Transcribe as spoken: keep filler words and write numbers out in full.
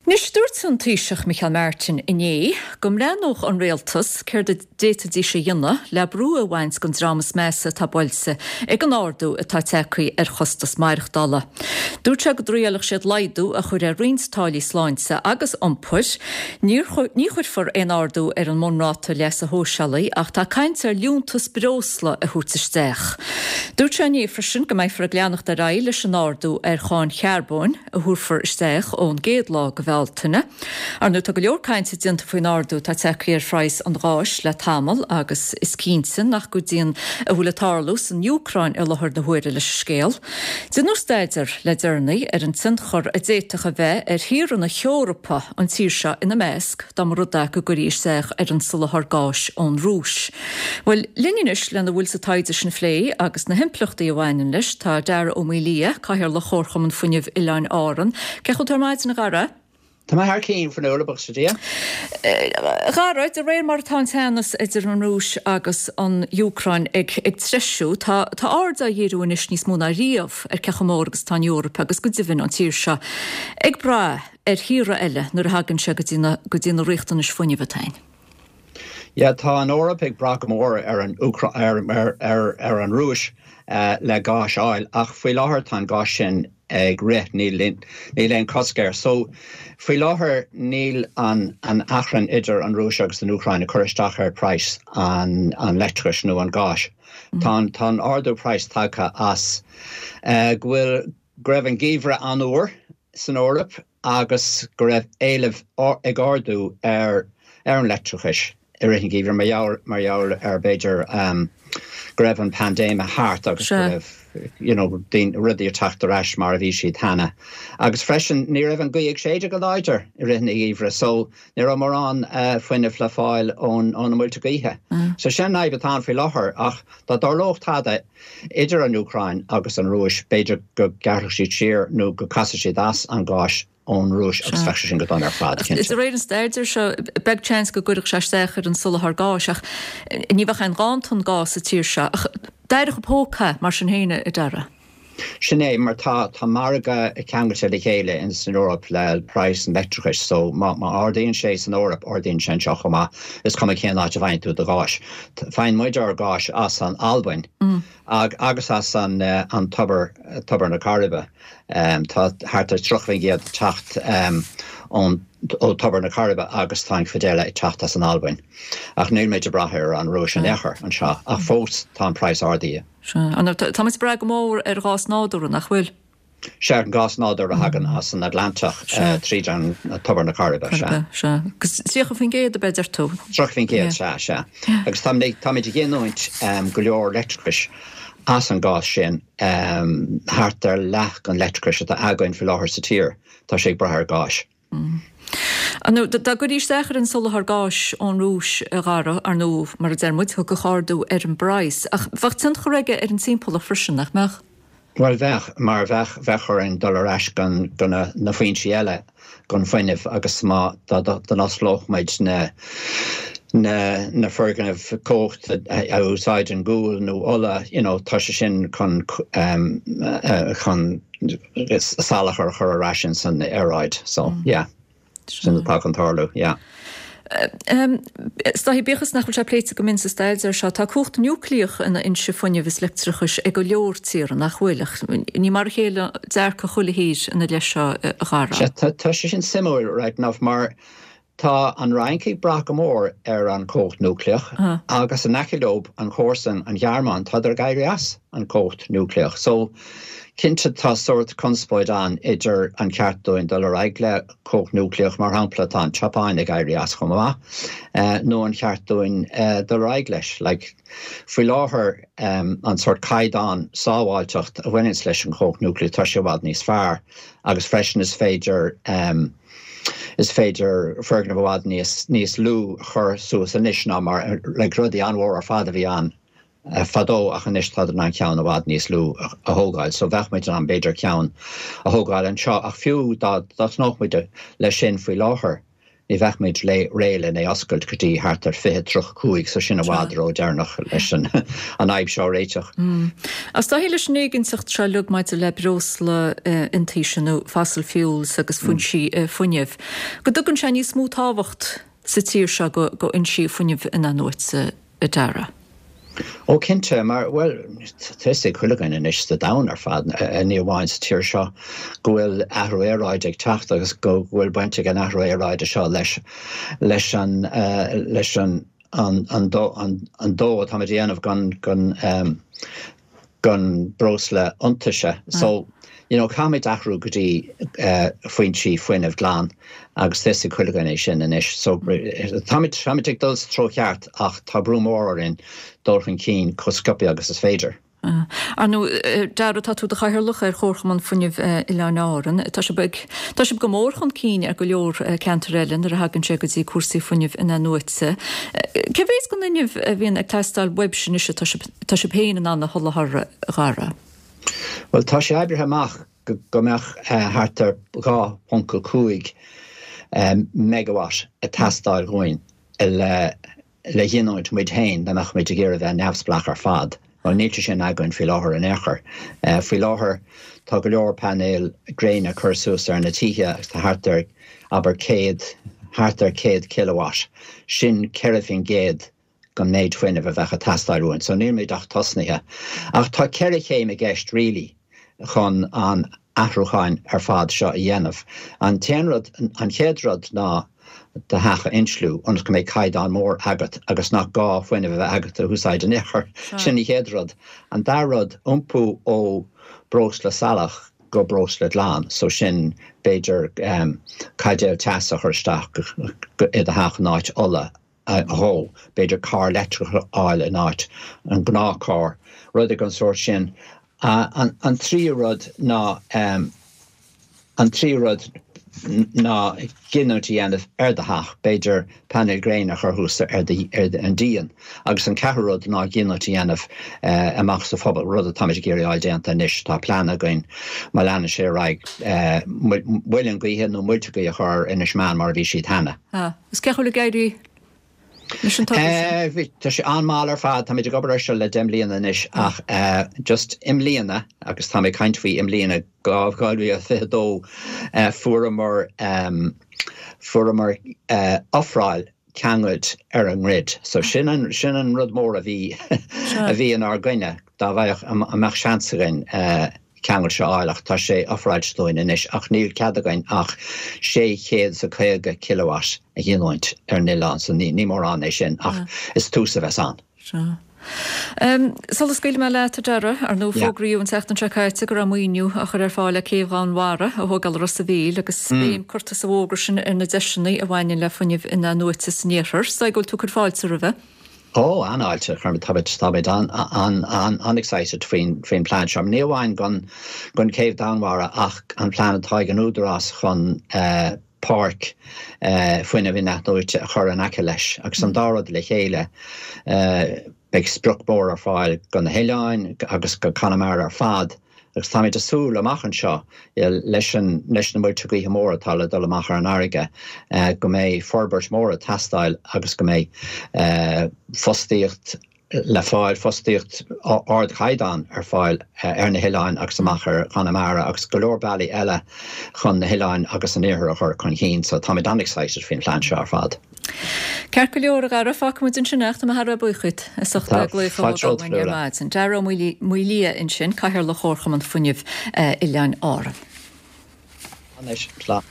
Anois dúirt an Taoiseach Micheál Martin inné go mbreathnódh an rialtas céard a d'fhéadfaidís a dhéanamh le brú a bhaint den dream is measa atá buailte ag an ardú atá tagtha ar chostas maireachtála. Dúirt sé go dtriailfeadh siad laghdú a chur ar roinnt táillí sláinte agus iompair. Ní chuirfear aon ardú ar an mbunráta leasa shóisialaigh ach tá caint ar liúntas breosla a thabhairt isteach. Dúirt sé inné freisin go mbeifear ag leanacht ar aghaidh leis an ardú ar cháin charbóin a thabharfar isteach ón gcéad lá de Bhealtaine. Ar ndóigh tá go leor cainte déanta faoin ardú atá tagtha ar phraghas an gháis le tamall agus is cinnte nach gcuidíonn a bhfuil ag tarlú san Úcráin i láthair na huaire leis an scéal. Déanadh staidéar le deireanaí ar an tionchar a d'fhéadfadh a bheith ar thíortha na hEorpa an tír seo ina measc dá mba rud é go gcuirfí isteach ar an soláthar gáis ón Rúis. Bhuel linn anois lena bhfuil sa taighde sin a phlé agus na himpleachtaí a bhaineann leis tá Dara Ó Maolaodha, Cathaoirleach Chomharchumann Fuinnimh Oileáin Árann. Cén chaoi a bhfuil tú ar maidin a Dhara? Tá mé thar cinn Fionnuala buíochas le Dia. A Dhara, de réir mar atá an teannas idir an Rúis agus an Úcráin ag ag treisiú, tá tá aird á dhíriú anois níos mó ná riamh ar cé chomh mór agus atá an Eoraip agus go deimhin an tír seo ag brath ar thíortha eile nuair a thagann sé go dtí na go dtí na riachtanais fuinnimh atá againn. Yeah, tá an Eoraip ag brath go mór ar an ar, ar, ar, ar an Rúis uh, le gás a fháil ach faoi láthair tá an gás sin ag rith níl níl aon cosc air. So faoi láthair níl an an achrann idir an Rúis agus an Úcráin ag cur isteach ar praghas an an leictreachais nó an gáis. Mm. Tá tá an ardú praghas tagtha as uh, go bhfuil go raibh an geimhreadh an-fhuar san Eoraip agus go raibh éileamh ag ardú ar ar an leictreachais i rith an gheimhridh mar gheall ar b'fhéidir um, go raibh an paindéim thart agus go raibh you know, rudaí ag teacht ar ais mar a bhí siad cheana. Agus freisin ní raibh an ghaoth ag séideadh go láidir i rith an gheimhridh, so ní raibh mórán uh, fuinnimh le fáil ón ón muilte gaoithe. Mm. So sin an fhadhb atá faoi láthair ach dá dtarlódh tada idir an Úcráin agus an Rúis b'fhéidir go ngearrfadh siad siar nó go gcasfadh siad as an gás ón Rúis agus bheadh sin go dona ar fad. De réir an staidéir seo beag seans go gcuirfeadh sé isteach ar an soláthar gáis ach ní bheadh aon ghanntan gáis sa tír seo ach d'éireodh póca mar sin féin a Dhara. Sin é mar tá tá margadh ceangailte le chéile in san Eoraip le praghas an leictreachais, so má má ardaíonn sé san Eoraip ardaíonn sé anseo chomh maith is cuma cén áit a bhfaigheann tú do ghás. Faigheann muid ár gás as an Albain mm. ag, agus as an uh, an tobar tobar na Coiribe. Um, tá thart ar tríocha ag teacht um, ón ó tobar na Coiribe agus tá an chuid eile ag teacht as an Albain. Ach níl muid ag brath ar an Rúis in aon chor anseo ach fós tá an praghas ardaithe. Tá muid ag brath go mór ar ghás nádúrtha nach bhfuil. Sé an gás nádúrtha a thagann as an Atlantach tríd an tobar na Coiribe se. Tríocha faoin gcéad a b'fhéidir tú. Tríocha faoin gcéad se se. Agus táimid ag giniúint go leor leictreachais as an gás sin um, thart ar leath an leictreachais atá againn faoi láthair sa tír, tá sé ag brath ar gáis. Mm. Nó dá gcuirfí isteach ar an soláthar gáis ón Rúis a Dhara ar nó mar a deir muid thiocfadh ardú ar an bpraghas ach bheadh tionchar aige ar an timpeallacht freisin nach mbeadh. Well bheadh mar bheadh bheadh orainn dul ar ais go go na, na foinsí eile gon fuinneamh agus má d'osclódh muid na na na foirgnimh cumhacht a úsáideann gual nó ola you know, tá sé sin chun um, uh, chun salachar a chur ar ais san aeráid so mm. yeah sin atá chun tarlú yeah. Stáhí bíochas nach bhfuil sé pléite go mion sa staidéar seo tá cumhacht núicléach ina fhoinse fuinnimh is leictreachais ag go leor tíortha nach bhfuil ní mar a chéile dearcadh chuile thír ina leith seo a Dhara. Tá sé sin suimiúil right enough mar tá an Fhrainc ag brath go mór ar an chumhacht núicléach uh. agus an aice leo an chomharsan an Ghearmáin tá ag éirí as an chumhacht núicléach. So cinnte tá sórt conspóid ann idir an ceart dúinn dul ar aghaidh le cumhacht núicléach mar shampla tá an tSeapáin ag éirí as chomh maith uh, nó an ceart dúinn uh, dul ar aghaidh leis. Like, faoi láthair um, an sórt caighdeán sábháilteacht a bhaineann leis an chumhacht núicléach tá sé i bhfad níos fearr agus freisin is féidir um, is féidir foirgneamh i bhfad níos níos lú chur suas anois ná mar le rudaí an-mhór ar fad a bhí ann uh, fadó ach anois tá an ceann i bhfad níos lú a thógáil, so bheadh muid an b'fhéidir ceann a thógáil anseo ach fiú dá dtosnódh muid leis sin faoi láthair. ní bheadh muid réidh lena oscailt go dtí thart ar fiche tríocha cúig, so sin i bhfad ródheireanach leis an an fhadhb seo a réiteach. Is dóichí leis an éiginnteacht seo uilig maidir le breosla iontaise nó fossil fuels agus foinsí fuinnimh, go dtugann sé níos mó tábhacht sa tír seo go fhoinsí fuinnimh in-athnuaite, a Dhara. Ó cinnte, mar, bhuel, tá fhios ag chuile dhuine anois sa domhan ar fad, ní amháin sa tír seo, go bhfuil athrú aeráide ag teacht agus go bhfuil baint ag an athrú aeráide seo leis leis an leis an an an an dóigh atáimid a dhéanamh gan gan gan breosla iontaise. So, you know, caithfimid athrú go dtí foinsí fuinnimh glan agus tá fhios ag chuile dhuine é sin anois. So, táimid, táimid ag dul sa treo cheart ach tá brú mór orainn dul chun cinn chomh sciobtha agus is féidir. Ar ndóigh, Dara, tá tú i do chathaoirleach ar Chomharchumann Fuinnimh Oileáin Árann. Tá sibh ag, tá sibh go mór chun cinn ar go leor ceantar eile nuair a thagann sé go dtí cúrsaí fuinnimh in-athnuaite. Cé mhéad den fhuinneamh a bhíonn ag teastáil uaibhse anois atá sibh, tá sibh féin in ann a sholáthar, a Dhara? Bhuel, tá sé oibrithe amach go mbeadh thart ar dhá ponc a cúig megawatt ag teastáil dhúinn le le ghiniúint muid féin dá mbeadh muid ag iarraidh bheith neamhspleách ar fad. Bhuel, níl sé sin againn faoi láthair in aon chor. Faoi láthair tá go leor painéil gréine curtha suas ar na tithe agus tá thart ar, abair, céad, thart ar céad kilowatt. Sin ceithre faoin gcéad den méid fuinnimh a bheadh ag teastáil uainn. So níl muid ach tosnaithe. Ach tá ceithre chéim i gceist really chun an athrúcháin ar fad seo a dhéanamh. An t-aon rud, an chéad rud ná do theach a insliú ionas go mbeidh caighdeán mór agat agus nach gá fuinneamh a bheith agat a úsáid in aon chor. Sin an chéad rud. An dara rud, iompú ó breosla salach go breosla glan. So sin b'fhéidir caidéal teasa a chur isteach i do theach in áit ola a dhó, b'fhéidir carr leictreach a fháil in áit an gnáthcharr, rudaí den sórt sin. An tríú rud ná an tríú rud ná giniúint a dhéanamh ar do theach, b'fhéidir painéil gréine a chur thuas ar an díon. Agus an ceathrú rud ná giniúint a dhéanamh amach sa phobal, rud atáimid ag iarraidh a fháil déanta anois. Tá plean againn, má leanann sé ar aghaidh, muileann gaoithe nó muilte gaoithe a chur ar Inis Meáin mar a bhí siad cheana. Is cén chaoi a bhfuil ag éirí leis an togra sin? Tá sé an-mhall ar fad. Táimid ag obair air seo le deich mbliana anois ach just i mbliana, agus táim ag caint faoi i mbliana, dhá mhíle is fiche dó, fuaireamar, fuaireamar ofráil ceangailt ar an ngrid. So sin an, sin an rud mór a bhí, a bhí inár gcoinne, dá bhfaigheadh, an mbeadh seans againn ceangal seo a fháil ach tá sé ofráilte dúinn anois ach níl cead againn ach sé chéad is a caoga kilowatt a ghiniúint ar an oileán so ní mórán é sin ach is tús a bheas ann. Sea. Sula scaoilfidh mé leat, a Dhara, ar ndóigh fógraíodh an tseachtain seo caite go raibh maoiniú á chur ar fáil le Céibh Dhomhanmhara a thógáil i Ros a' Mhíl agus béim curtha sa bhfógra sin ar na deiseanna a bhaineann le fuinneamh in-athnuaite san iarthar. Is dóigh go bhfuil tú ag cur fáilte roimhe. Ó, an-fháilte, táimid, táimid an-excited faoin, faoin plean seo. Ní amháin don, don chéibh Dhomhanmhara ach an plean atá ag an Údarás chun páirc fuinnimh in-athnuaite a chur in aice leis. Agus an dá rud le chéile, beidh sprioc mhór ar fáil do na hoileáin agus do Chonamara ar fad. Agus táimid ag súil amach anseo, leis an, leis na muilte gaoithe móra atá le dul amach ar an fharraige, go mbeidh forbairt mhór ag teastáil agus go mbeidh fostaíocht le fáil, fostaíocht ardchaighdeán ar fáil ar na hoileáin agus amach ar Chonamara agus go leor bealaí eile chun na hoileáin agus an iarthar a chur chun cinn. So táimid an-excited faoin phlean seo ar fad. Ceart go leor, a Dhara, fágfaidh muid ansin é ach tá mé thar a bheith buíoch díot as ucht glaoch a thógáil uainn ar maidin. Dara Ó Maolaodha ansin, Cathaoirleach Chomharchumann Fuinnimh Oileáin Árann. Anois, slán.